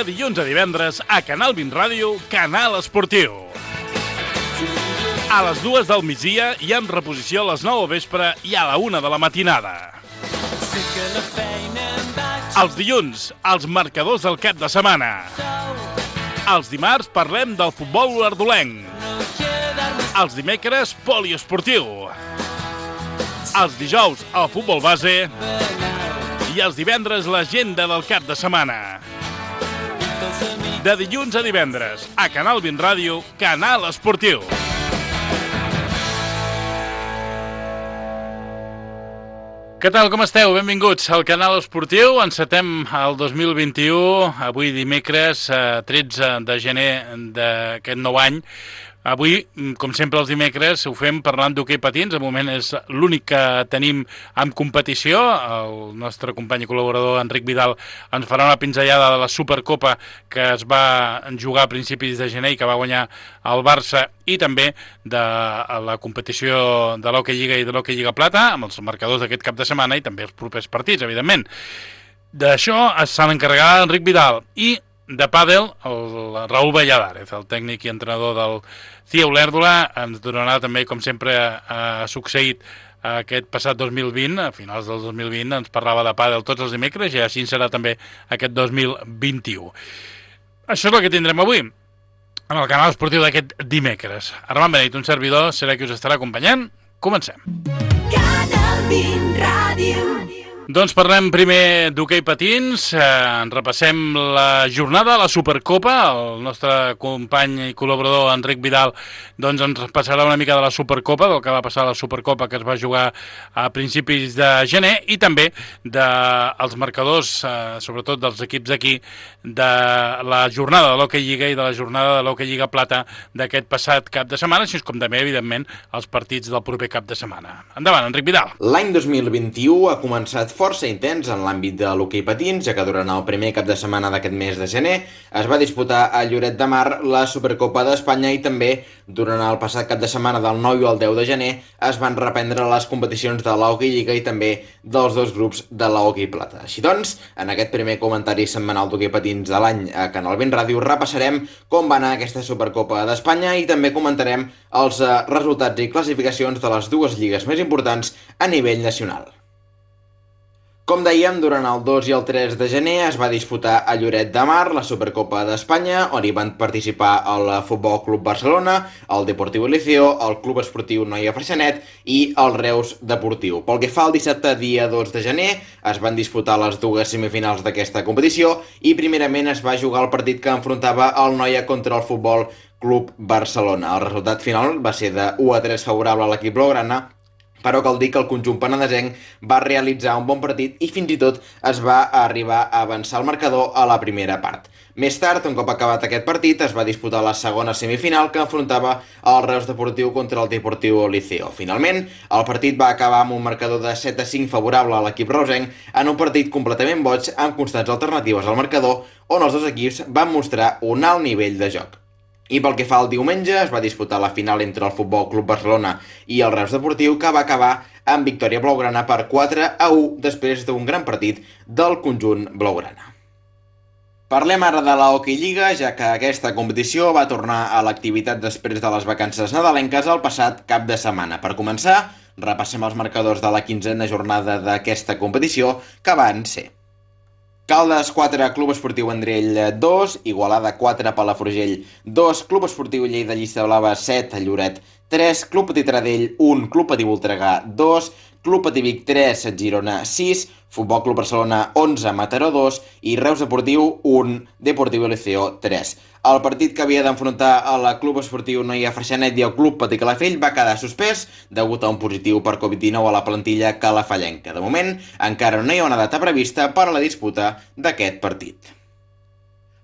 de dilluns a divendres a Canal 20 Ràdio, Canal Esportiu. A les 2 del migdia i amb reposició a les 9 del vespre i a la 1 de la matinada. Els dilluns, els marcadors del cap de setmana. Els dimarts parlem del futbol ardolenc. Els dimecres, poliesportiu. Els dijous, el futbol base. I els divendres, l'agenda del cap de setmana. De dilluns a divendres, a Canal 20 Ràdio, Canal Esportiu. Què tal, com esteu? Benvinguts al Canal Esportiu. Encetem el 2021, avui dimecres 13 de gener d'aquest nou any. Avui, com sempre els dimecres, ho fem parlant d'hoquei patins. De moment és l'únic que tenim en competició. El nostre company i col·laborador Enric Vidal ens farà una pinzellada de la Supercopa que es va jugar a principis de gener i que va guanyar el Barça, i també de la competició de l'Hockey Lliga i de l'Hockey Lliga Plata, amb els marcadors d'aquest cap de setmana i també els propers partits, evidentment. D'això se n'encarregarà Enric Vidal. I de pàdel, el Raúl Valladares, el tècnic i entrenador del CIE Olèrdola, ens donarà també, com sempre ha succeït aquest passat 2020, a finals del 2020, ens parlava de pàdel tots els dimecres, i així serà també aquest 2021. Això és el que tindrem avui en el canal esportiu d'aquest dimecres. Armand Beneit, un servidor, serà qui us estarà acompanyant. Comencem. Canal 20 Ràdio. Doncs parlem primer d'hoquei patins, repassem la jornada de la Supercopa. El nostre company i col·laborador Enric Vidal doncs ens passarà una mica de la Supercopa, del que va passar a la Supercopa que es va jugar a principis de gener, i també dels marcadors, sobretot dels equips d'aquí, de la jornada de l'Hockey Lliga i de la jornada de l'Hockey Lliga Plata d'aquest passat cap de setmana, així com també, evidentment, els partits del proper cap de setmana. Endavant, Enric Vidal. L'any 2021 ha començat força intens en l'àmbit de l'hoquei patins, ja que durant el primer cap de setmana d'aquest mes de gener es va disputar a Lloret de Mar la Supercopa d'Espanya, i també durant el passat cap de setmana del 9 i el 10 de gener es van reprendre les competicions de l'Hockey Lliga i també dels dos grups de l'Hockey Plata. Així doncs, en aquest primer comentari setmanal d'hoquei patins de l'any a Canal 20 Ràdio repassarem com va anar aquesta Supercopa d'Espanya i també comentarem els resultats i classificacions de les dues lligues més importants a nivell nacional. Com dèiem, durant el 2 i el 3 de gener es va disputar a Lloret de Mar la Supercopa d'Espanya, on hi van participar el Futbol Club Barcelona, el Deportiu Liceo, el Club Esportiu Noia Freixenet i el Reus Deportiu. Pel que fa al dissabte, dia 2 de gener, es van disputar les dues semifinals d'aquesta competició i primerament es va jugar el partit que enfrontava el Noia contra el Futbol Club Barcelona. El resultat final va ser de 1-3 favorable a l'equip blaugrana, però cal dir que el conjunt penedesenc va realitzar un bon partit i fins i tot es va arribar a avançar el marcador a la primera part. Més tard, un cop acabat aquest partit, es va disputar la segona semifinal que enfrontava el Reus Deportiu contra el Deportiu Liceo. Finalment, el partit va acabar amb un marcador de 7-5 favorable a l'equip reusenc en un partit completament boig amb constants alternatives al marcador, on els dos equips van mostrar un alt nivell de joc. I pel que fa al diumenge, es va disputar la final entre el Futbol Club Barcelona i el Reus Deportiu, que va acabar amb victòria blaugrana per 4-1 després d'un gran partit del conjunt blaugrana. Parlem ara de la Hockey Lliga, ja que aquesta competició va tornar a l'activitat després de les vacances nadalenques el passat cap de setmana. Per començar, repassem els marcadors de la 15a jornada d'aquesta competició, que van ser: Caldes 4, Club Esportiu Vendrell 2, Igualada 4, Palafrugell 2, Club Esportiu Lleida Llista Blava 7, Lloret 3, Club Petit Taradell 1, Club Patí Voltregà 2, Club Patí Vic 3, Girona 6, Futbol Club Barcelona 11, Mataró 2 i Reus Deportiu 1, Deportiu Liceo 3. El partit que havia d'enfrontar el Club Esportiu Noia Freixenet i el Club Patí Calafell va quedar suspès degut a un positiu per Covid-19 a la plantilla calafallenca. De moment, encara no hi ha una data prevista per a la disputa d'aquest partit.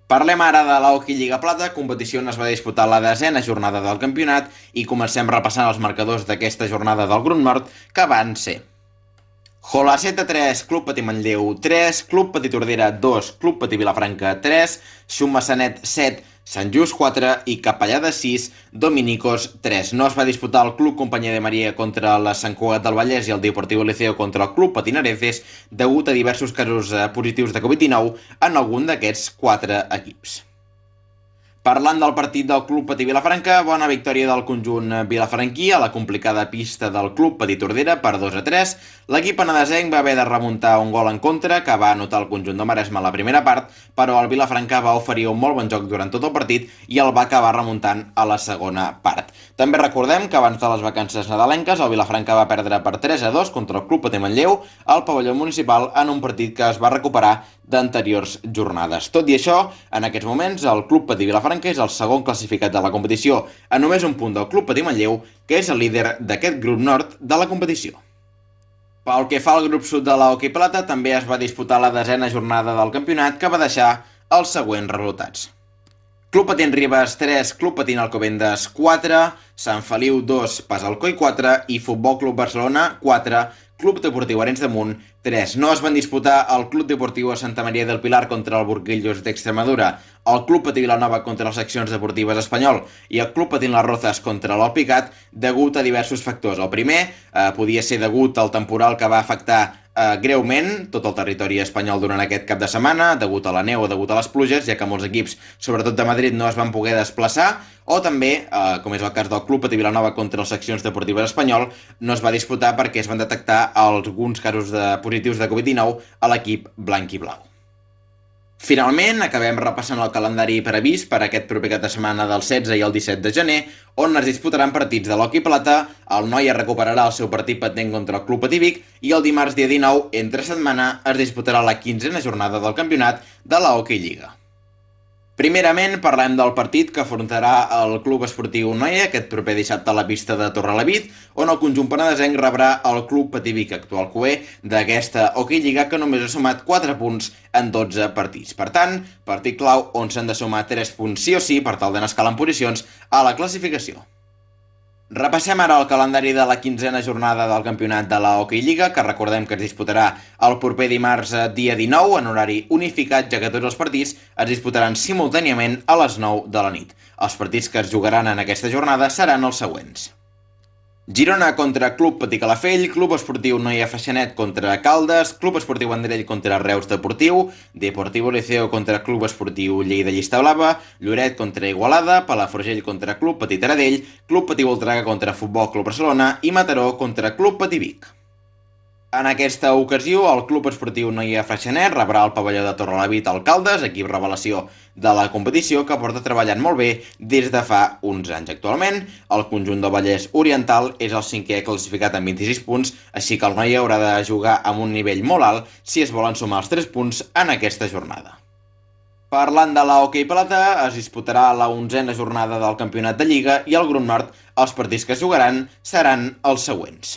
Parlem ara de la Hockey Lliga Plata, competició on es va disputar la 10a jornada del campionat, i comencem repassant els marcadors d'aquesta jornada del grup nord, que van ser: Holaceta 3, Club Patí Manlleu 3, Club Patí Tordera 2, Club Patí Vilafranca 3, Xum Massanet 7, Sant Just 4 i Capellades 6, Dominicos 3. No es va disputar el Club Companyia de Maria contra la Sant Cugat del Vallès i el Deportivo Liceo contra el Club Patinareces degut a diversos casos positius de Covid-19 en algun d'aquests 4 equips. Parlant del partit del Club Patí Vilafranca, bona victòria del conjunt vilafranquí a la complicada pista del Club Patí Tordera per 2-3. L'equip penedesenc va haver de remuntar un gol en contra que va anotar el conjunt de Maresme a la primera part, però el Vilafranca va oferir un molt bon joc durant tot el partit i el va acabar remuntant a la segona part. També recordem que abans de les vacances nadalenques el Vilafranca va perdre per 3-2 contra el Club Patí Manlleu al pavelló municipal en un partit que es va recuperar d'anteriors jornades. Tot i això, en aquests moments el Club Patí Vilafranca és el segon classificat de la competició, a només un punt del Club Patí Manlleu, que és el líder d'aquest grup nord de la competició. Pel que fa al grup sud de l'hoquei plata, també es va disputar la 10ª jornada del campionat, que va deixar els següents resultats. Club Patín Ribes 3, Club Patín Alcobendas 4, Sant Feliu 2, Pasalcoi 4 i Futbol Club Barcelona 4, Club Deportiu Arenys de Munt 3. No es van disputar el Club Deportiu Santa Maria del Pilar contra el Burguillos d'Extremadura, el Club Patí Vilanova contra les seccions deportives Espanyol i el Club Patí Las Rozas contra l'Alpicat degut a diversos factors. El primer podia ser degut al temporal que va afectar greument tot el territori espanyol durant aquest cap de setmana, degut a la neu o degut a les pluges, ja que molts equips, sobretot de Madrid, no es van poder desplaçar, o també, com és el cas del Club Patí Vilanova contra les seccions deportives Espanyol, no es va disputar perquè es van detectar alguns casos positius de Covid-19 a l'equip blanc i blau. Finalment, acabem repassant el calendari previst per aquest proper cap de setmana del 16 i el 17 de gener, on es disputaran partits de l'hoquei plata, el Noia recuperarà el seu partit pendent contra el Club Patí Vic i el dimarts dia 19, entre setmana, es disputarà la 15a jornada del campionat de la Hockey Lliga. Primerament, parlem del partit que afrontarà el Club Esportiu Noia aquest proper dissabte a la pista de Torrelavit, on el conjunt penedesenc rebrà el Club Patí Vic, actual cuer d'aquesta Hockey Lliga, que només ha sumat 4 punts en 12 partits. Per tant, partit clau on s'han de sumar 3 punts sí o sí per tal d'anar escalant posicions a la classificació. Repassem ara el calendari de la 15a jornada del campionat de la Hockey Lliga, que recordem que es disputarà el proper dimarts dia 19 en horari unificat, ja que tots els partits es disputaran simultàniament a les 9 de la nit. Els partits que es jugaran en aquesta jornada seran els següents. Girona contra Club Patí Calafell, Club Esportiu Noia Freixenet contra Caldes, Club Esportiu Vendrell contra Reus Deportiu, Deportivo Liceo contra Club Esportiu Lleida Llista Blava, Lloret contra Igualada, Palafrugell contra Club Patí Taradell, Club Patí Voltregà contra Futbol Club Barcelona i Mataró contra Club Patí Vic. En aquesta ocasió, el Club Esportiu Noia Freixenet rebrà el pavelló de Torrelavit al Caldes, equip revelació de la competició que porta treballant molt bé des de fa uns anys. Actualment, el conjunt del Vallès Oriental és el 5è classificat amb 26 punts, així que el Noia haurà de jugar amb un nivell molt alt si es volen sumar els 3 punts en aquesta jornada. Parlant de la hoquei plata, es disputarà la 11a jornada del campionat de Lliga i al grup nord els partits que es jugaran seran els següents.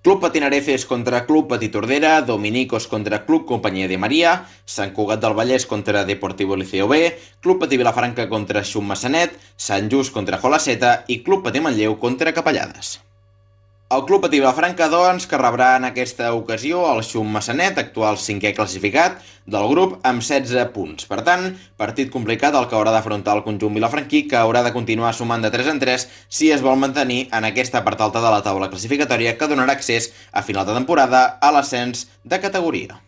Club Patinareces contra Club Patí Tordera, Dominicos contra Club Companyia de Maria, Sant Cugat del Vallès contra Deportivo Liceo B, Club Patí Vilafranca contra Xum Massanet, Sant Just contra Jolaceta i Club Patí Manlleu contra Capellades. El Club Patí Vilafranca, doncs, que rebrà en aquesta ocasió el Xum Massanet, actual 5è classificat del grup, amb 16 punts. Per tant, partit complicat el que haurà d'afrontar el conjunt vilafranquí, que haurà de continuar sumant de 3 en 3 si es vol mantenir en aquesta part alta de la taula classificatòria que donarà accés a final de temporada a l'ascens de categoria.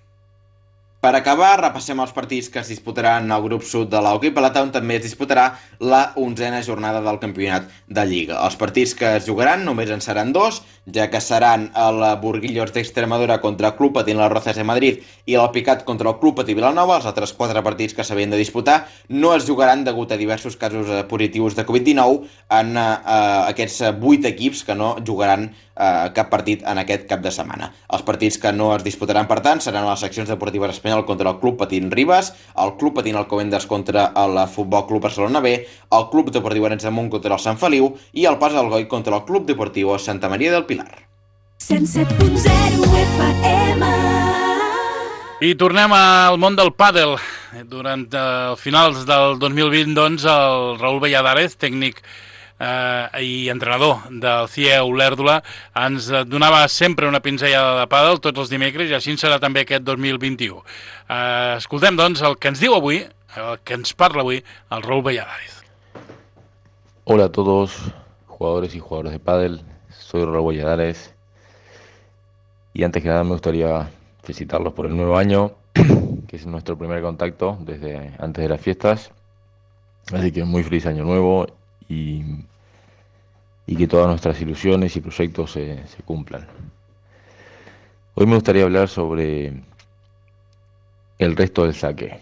Per acabar, repassem els partits que es disputaran al grup sud de l'hoquei plata, on també es disputarà la 11a jornada del campionat de Lliga. Els partits que es jugaran només en seran 2, ja que seran el Burguillos d'Extremadura contra el Club Patí Las Rozas de Madrid i l'Alpicat contra el Club Patí Vilanova. Els altres 4 partits que s'havien de disputar no es jugaran degut a diversos casos positius de Covid-19 en aquests 8 equips que no jugaran cap partit en aquest cap de setmana. Els partits que no es disputaran, per tant, seran les seccions deportives Espanyol contra el Club Patín Ribes, el Club Patín Alcobendas contra el Futbol Club Barcelona B, el Club Deportiu Arenys de Munt contra el Sant Feliu i el Pasalcoi contra el Club Deportiu Santa Maria del Pilar. 107.0 FM. I tornem al món del pàdel. Durant finals del 2020, doncs, el Raül Valladares, tècnic i entrenador del CIE Olèrdola, ens donava sempre una pinzellada de pàdel tots els dimecres i així serà també aquest 2021. Escoltem, doncs, el que ens diu avui el que ens parla avui, el Raúl Valladares. Hola a todos, jugadores y jugadoras de pádel, soy Raúl Valladares y antes que nada me gustaría felicitarlos por el nuevo año, que es nuestro primer contacto desde antes de las fiestas, así que muy feliz año nuevo y que todas nuestras ilusiones y proyectos se cumplan. Hoy me gustaría hablar sobre el resto del saque.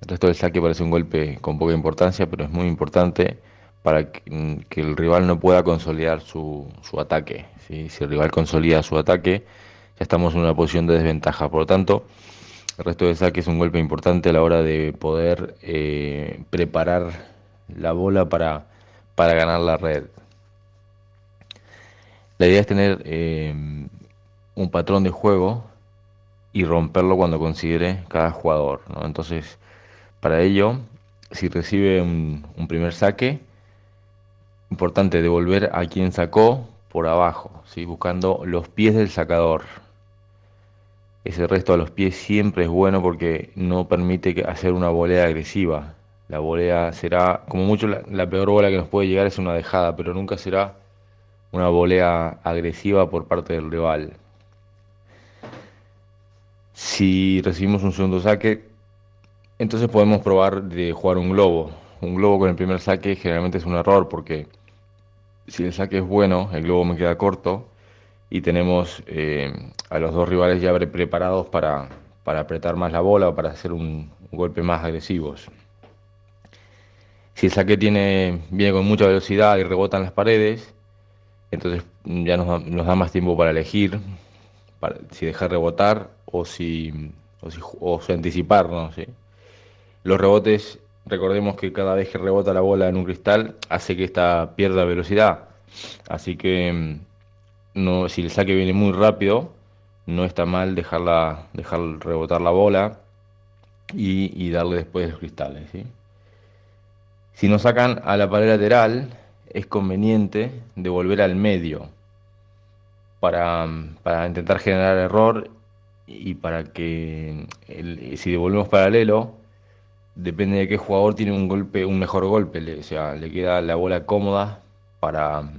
El resto del saque parece un golpe con poca importancia, pero es muy importante para que el rival no pueda consolidar su ataque, ¿sí? Si el rival consolida su ataque, ya estamos en una posición de desventaja. Por lo tanto, el resto del saque es un golpe importante a la hora de poder preparar la bola para ganar la red. La idea es tener un patrón de juego y romperlo cuando considere cada jugador, ¿no? Entonces, para ello, si recibe un primer saque, importante devolver a quien sacó por abajo, ¿sí? Buscando los pies del sacador. Ese resto a los pies siempre es bueno porque no permite hacer una volea agresiva. La volea será, como mucho, la peor bola que nos puede llegar es una dejada, pero nunca será una volea agresiva por parte del rival. Si recibimos un segundo saque, entonces podemos probar de jugar un globo. Un globo con el primer saque generalmente es un error porque si el saque es bueno, el globo me queda corto y tenemos a los dos rivales ya preparados para apretar más la bola o para hacer un golpe más agresivos. Si el saque viene con mucha velocidad y rebota en las paredes, entonces ya nos da más tiempo para elegir si dejar rebotar o si anticiparnos, ¿sí? Los rebotes, recordemos que cada vez que rebota la bola en un cristal hace que ésta pierda velocidad, así que si el saque viene muy rápido, no está mal dejar rebotar la bola y darle después los cristales, ¿sí? Si nos sacan a la pared lateral, es conveniente devolver al medio para intentar generar error y para que si devolvemos paralelo, depende de qué jugador tiene un mejor golpe, le queda la bola cómoda para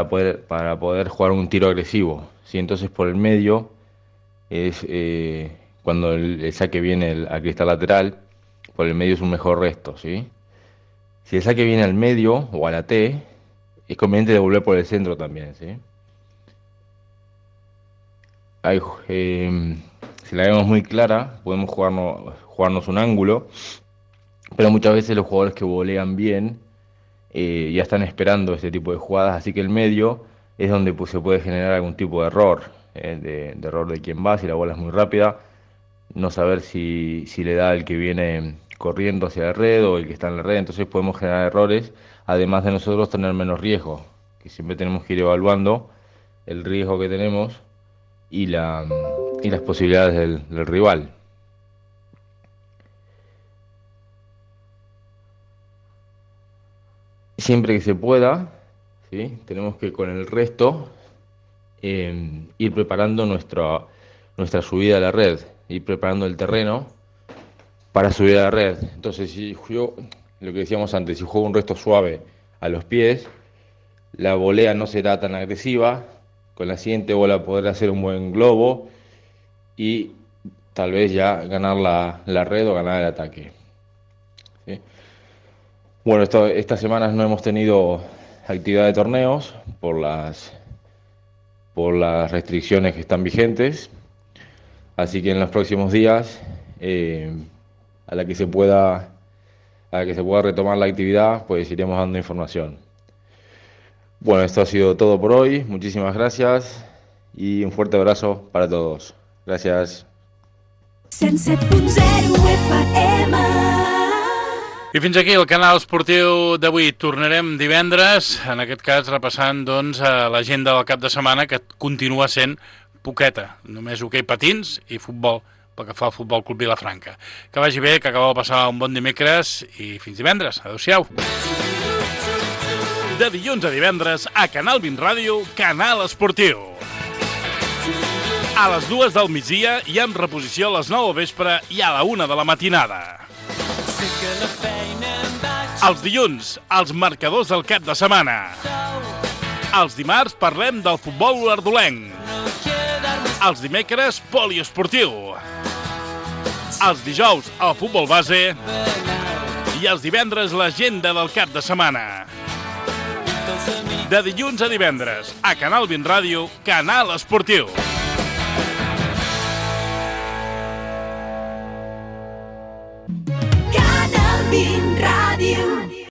poder jugar un tiro agresivo, ¿sí? Entonces por el medio es cuando el saque viene al cristal lateral, por el medio es un mejor resto, ¿sí? Si el saque viene al medio o a la T, es conveniente devolver por el centro también, ¿sí? Si la vemos muy clara, podemos jugarnos un ángulo, pero muchas veces los jugadores que volean bien ya están esperando este tipo de jugadas, así que el medio es donde se puede generar algún tipo de error, de error de quien va, si la bola es muy rápida, no saber si le da el que viene corriendo hacia la red o el que está en la red, entonces podemos generar errores, además de nosotros tener menos riesgo, que siempre tenemos que ir evaluando el riesgo que tenemos y las posibilidades del rival. Siempre que se pueda, ¿sí? Tenemos que con el resto ir preparando nuestra subida a la red, ir preparando el terreno para subir a la red. Entonces, si yo, lo que decíamos antes, si juego un resto suave a los pies, la volea no será tan agresiva, con la siguiente bola poder hacer un buen globo y tal vez ya ganar la red o ganar el ataque, ¿sí? Bueno, estas semanas no hemos tenido actividad de torneos por las restricciones que están vigentes, así que en los próximos días, a la que se pueda retomar la actividad, pues iremos dando información. Bueno, esto ha sido todo por hoy. Muchísimas gracias y un fuerte abrazo para todos. Gràcies. 107.0 FM. I fins aquí el canal esportiu d'avui. Tornarem divendres, en aquest cas repassant doncs, l'agenda del cap de setmana, que continua sent poqueta. Només hoquei patins i futbol, pel que fa al Futbol Club Vilafranca. Que vagi bé, que acabeu de passar un bon dimecres i fins divendres. Adéu-siau. De dilluns a divendres, a Canal 20 Ràdio, Canal Esportiu. A les 2 del migdia i amb reposició a les 9 del vespre i a la 1 de la matinada. Els dilluns, els marcadors del cap de setmana. Els dimarts parlem del futbol ardolenc. Els dimecres, poliesportiu. Els dijous, el futbol base. I els divendres, l'agenda del cap de setmana. De dilluns a divendres, a Canal 20 Ràdio, Canal Esportiu.